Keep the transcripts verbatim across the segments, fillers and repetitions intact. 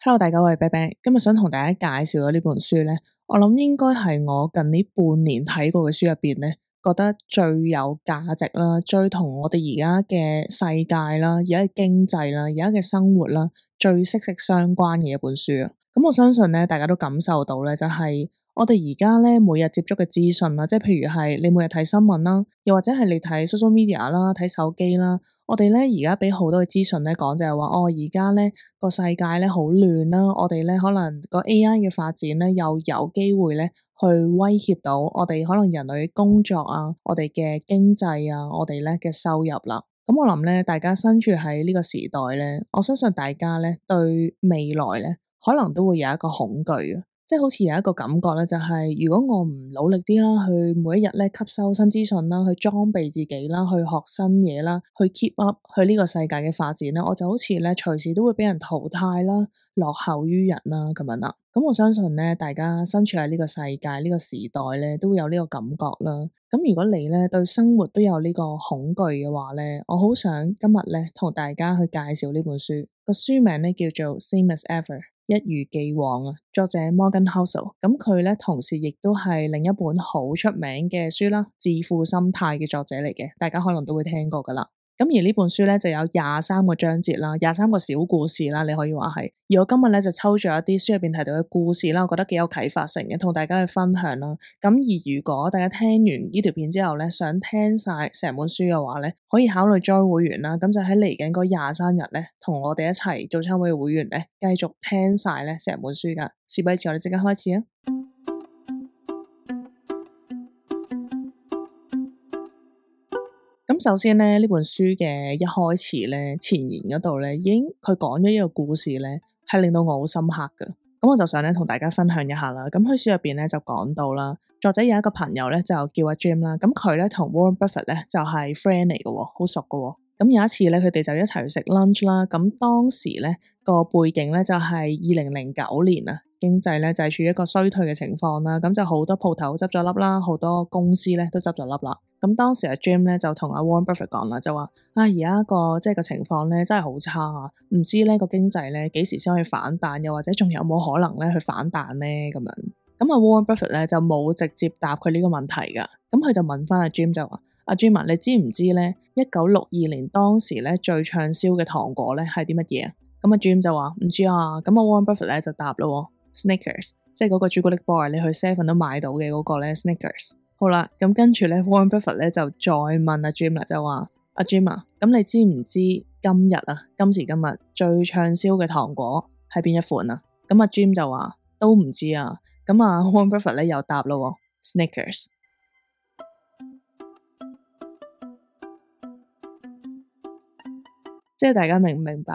Hello，大家好，我係啤啤，今日想同大家介紹嘅呢本書咧，我諗應該係我近呢半年睇過嘅書入邊咧，覺得最有價值啦，最同我哋而家嘅世界啦，而家嘅經濟啦，而家嘅生活啦，最息息相關嘅一本書啊。咁我相信咧，大家都感受到咧，就係我哋而家咧每日接觸嘅資訊啦，即係譬如係你每日睇新聞啦，又或者係你睇 social media 啦，睇手機啦。我哋咧而家俾好多嘅資訊咧講就係話，哦而家咧個世界咧好亂啦，我哋咧可能個 A I 嘅發展咧又有機會咧去威脅到我哋可能人類嘅工作啊，我哋嘅經濟啊，我哋咧嘅收入啦。咁我諗咧，大家身處喺呢個時代咧，我相信大家咧對未來咧可能都會有一個恐懼嘅。即係好似有一個感覺咧，就係如果我唔努力啲啦，去每一日咧吸收新資訊啦，去裝備自己啦，去學新嘢啦，去 keep up 去呢個世界嘅發展咧，我就好似咧隨時都會俾人淘汰啦，落後於人啦咁樣啦。咁我相信咧，大家身處喺呢個世界呢個時代咧，都會有呢個感覺啦。咁如果你咧對生活都有呢個恐懼嘅話咧，我好想今日咧同大家去介紹呢本書，個書名咧叫做 Same as Ever。一如既往啊，作者 Morgan Housel，咁佢咧同時亦都係另一本好出名嘅書啦，《致富心態》嘅作者嚟嘅，大家可能都會聽過噶啦。咁而呢本書咧就有廿三個章節啦，廿三個小故事啦，你可以話係。而我今日咧就抽咗一啲書入邊提到嘅故事啦，我覺得幾有啟發性嘅，同大家去分享啦。咁而如果大家聽完呢條片之後咧，想聽晒成本書嘅話咧，可以考慮 join 會員啦。咁就喺嚟緊嗰廿三日咧，同我哋一齊做參會嘅會員咧，繼續聽晒咧成本書噶。事不宜遲，我哋即刻開始啊！咁首先咧，呢本書嘅一開始咧，前言嗰度咧，已經佢講咗一個故事咧，係令到我好深刻㗎。咁我就想咧同大家分享一下啦。咁喺書入邊咧就講到啦，作者有一個朋友咧就叫阿 Jim 啦。咁佢咧同 Warren Buffett 咧就係 friend 嚟嘅，好熟嘅。咁有一次咧，佢哋就一齊去食 lunch 啦。咁當時咧個背景咧就係二零零九年啊，經濟咧就係處於一個衰退嘅情況啦。咁就好多鋪頭執咗笠啦，好多公司咧都執咗笠啦。咁當時阿 Jim 咧就同阿 Warren Buffett 講啦，就話啊而家個即係個情況咧真係好差啊，唔知咧個經濟咧幾時先可以反彈，又或者仲有冇可能咧去反彈咧咁樣。咁阿 Warren Buffett 咧就冇直接答佢呢個問題噶，咁佢就問翻阿 Jim 就話：阿 Jim 啊，你知唔知咧一九六二年當時咧最暢銷嘅糖果咧係啲乜嘢啊？咁阿 Jim 就話唔知啊。咁阿 Warren Buffett 咧就答咯 Snickers， 即係嗰個朱古力波，你去 seven 都買到嘅嗰個咧 Snickers。好啦，咁跟住咧 Warren Buffett 咧就再問阿 Jim 啦，就話阿 Jim 啊，咁你知唔知今日啊今時今日最暢銷嘅糖果係邊一款啊？咁阿 Jim 就話都唔知啊。咁啊 Warren Buffett 咧又答咯 Snickers。即係大家明唔明白？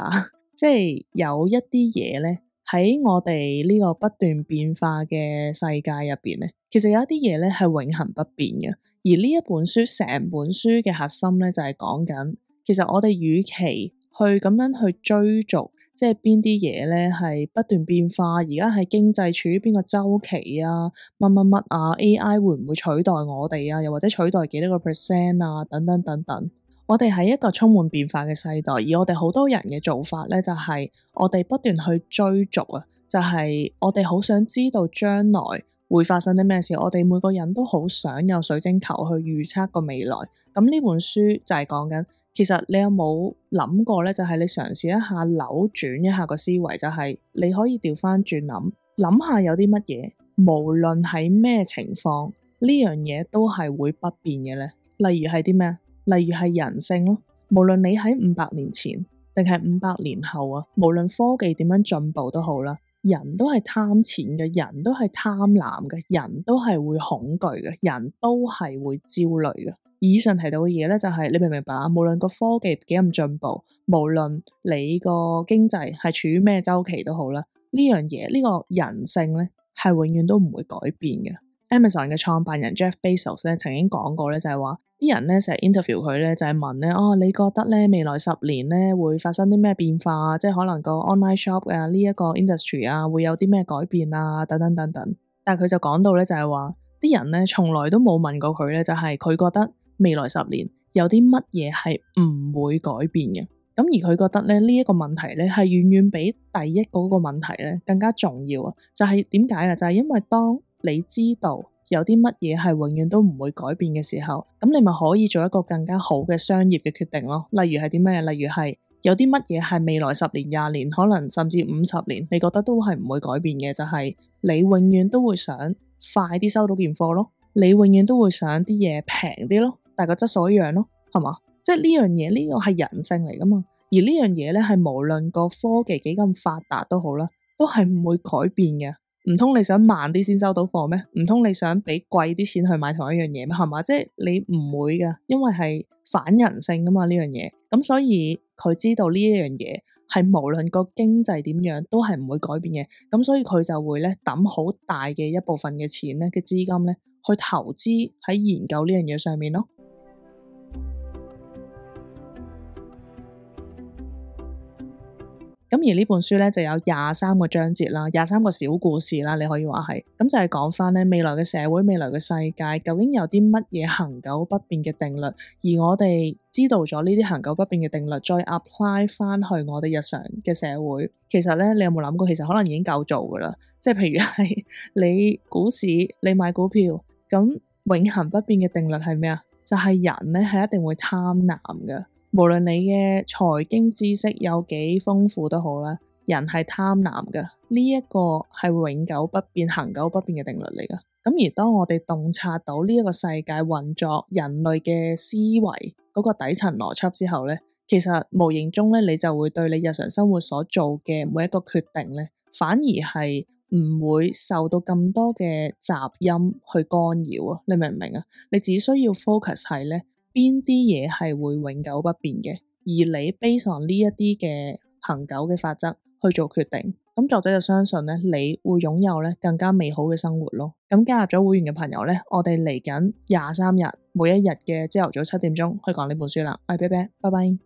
即係有一啲嘢咧喺我哋呢個不斷變化嘅世界入邊咧，其實有一啲嘢咧係永恆不變嘅。而呢一本書成本書嘅核心咧就係講緊，其實我哋與其去咁樣去追逐，即係邊啲嘢咧係不斷變化，而家係經濟處於邊個周期啊，乜乜乜啊 A I 會唔會取代我哋啊，又或者取代幾多個 percent 啊，等等等等。我哋喺一個充滿變化嘅世代，而我哋好多人嘅做法咧，就係我哋不斷去追逐啊，就係我哋好想知道將來會發生啲咩事。我哋每個人都好想有水晶球去預測個未來。咁呢本書就係講緊，其實你有冇諗過咧？就係你嘗試一下扭轉一下個思維，就係你可以調翻轉諗，諗下有啲乜嘢，無論喺咩情況，呢樣嘢都係會不變嘅咧。例如係啲咩？例如係人性咯，無論你喺五百年前定係五百年後啊，無論科技點樣進步都好啦，人都係貪錢嘅，人都係貪婪嘅，人都係會恐懼嘅，人都係會焦慮嘅。以上提到嘅嘢咧，就係你明唔明白啊？無論個科技幾咁進步，無論你個經濟係處於咩周期都好啦，呢樣嘢呢個人性咧係永遠都唔會改變嘅。Amazon 嘅創辦人 Jeff Bezos 咧曾經講過咧，就係話啲人咧成日 interview 佢咧，就係問咧，哦，你覺得咧未來十年咧會發生啲咩變化啊？即係可能個 online shop 啊呢一個 industry 啊會有啲咩改變啊？等等等等。但係佢就講到咧，就係話啲人咧從來都冇問過佢咧，就係佢覺得未來十年有啲乜嘢係唔會改變嘅。咁而佢覺得咧呢一個問題咧係遠遠比第一嗰個問題咧更加重要啊！就係點解啊？就係因為當你知道有啲乜嘢係永遠都唔會改變嘅時候，咁你咪可以做一個更加好嘅商業嘅決定咯。例如係啲咩？例如係有啲乜嘢係未來十年、廿年，可能甚至五十年，你覺得都係唔會改變嘅，就係你永遠都會想快啲收到件貨咯，你永遠都會想啲嘢平啲咯，但係個質素一樣咯，係嘛？即係呢樣嘢，呢個係人性嚟噶嘛。而呢樣嘢咧係無論個科技幾咁發達都好啦，都係唔會改變嘅。唔通你想慢啲先收到貨咩？唔通你想俾貴啲錢去買同一樣嘢咩？係嘛？即係你唔會噶，因為係反人性噶嘛呢樣嘢。咁所以佢知道呢一樣嘢係無論個經濟點樣都係唔會改變嘅。咁所以佢就會咧抌好大嘅一部分嘅錢咧嘅資金咧去投資喺研究呢樣嘢上面咯。咁而呢本書咧就有廿三個章節啦，廿三個小故事啦，你可以話係，咁就係講翻咧未來嘅社會、未來嘅世界究竟有啲乜嘢恒久不變嘅定律，而我哋知道咗呢啲恒久不變嘅定律，再 apply 翻去我哋日常嘅社會，其實咧你有冇諗過，其實可能已經夠做噶啦，即係譬如係你股市，你買股票，咁永恆不變嘅定律係咩啊？就係人咧係一定會貪婪嘅。無論你嘅財經知識有幾豐富都好啦，人係貪婪嘅，呢一個係永久不變、恒久不變嘅定律嚟噶。咁而當我哋洞察到呢一個世界運作、人類嘅思維嗰個底層邏輯之後咧，其實無形中咧，你就會對你日常生活所做嘅每一個決定咧，反而係唔會受到咁多嘅雜音去干擾啊！你明唔明啊？你只需要 focus 係咧。邊啲嘢係會永久不變嘅，而你 base on 呢一啲嘅恒久嘅法則去做決定，咁作者就相信咧，你會擁有咧更加美好嘅生活咯。咁加入咗會員嘅朋友咧，我哋嚟緊廿三日每一日嘅朝頭早七點鐘去講呢本書啦。我係啤啤，拜拜。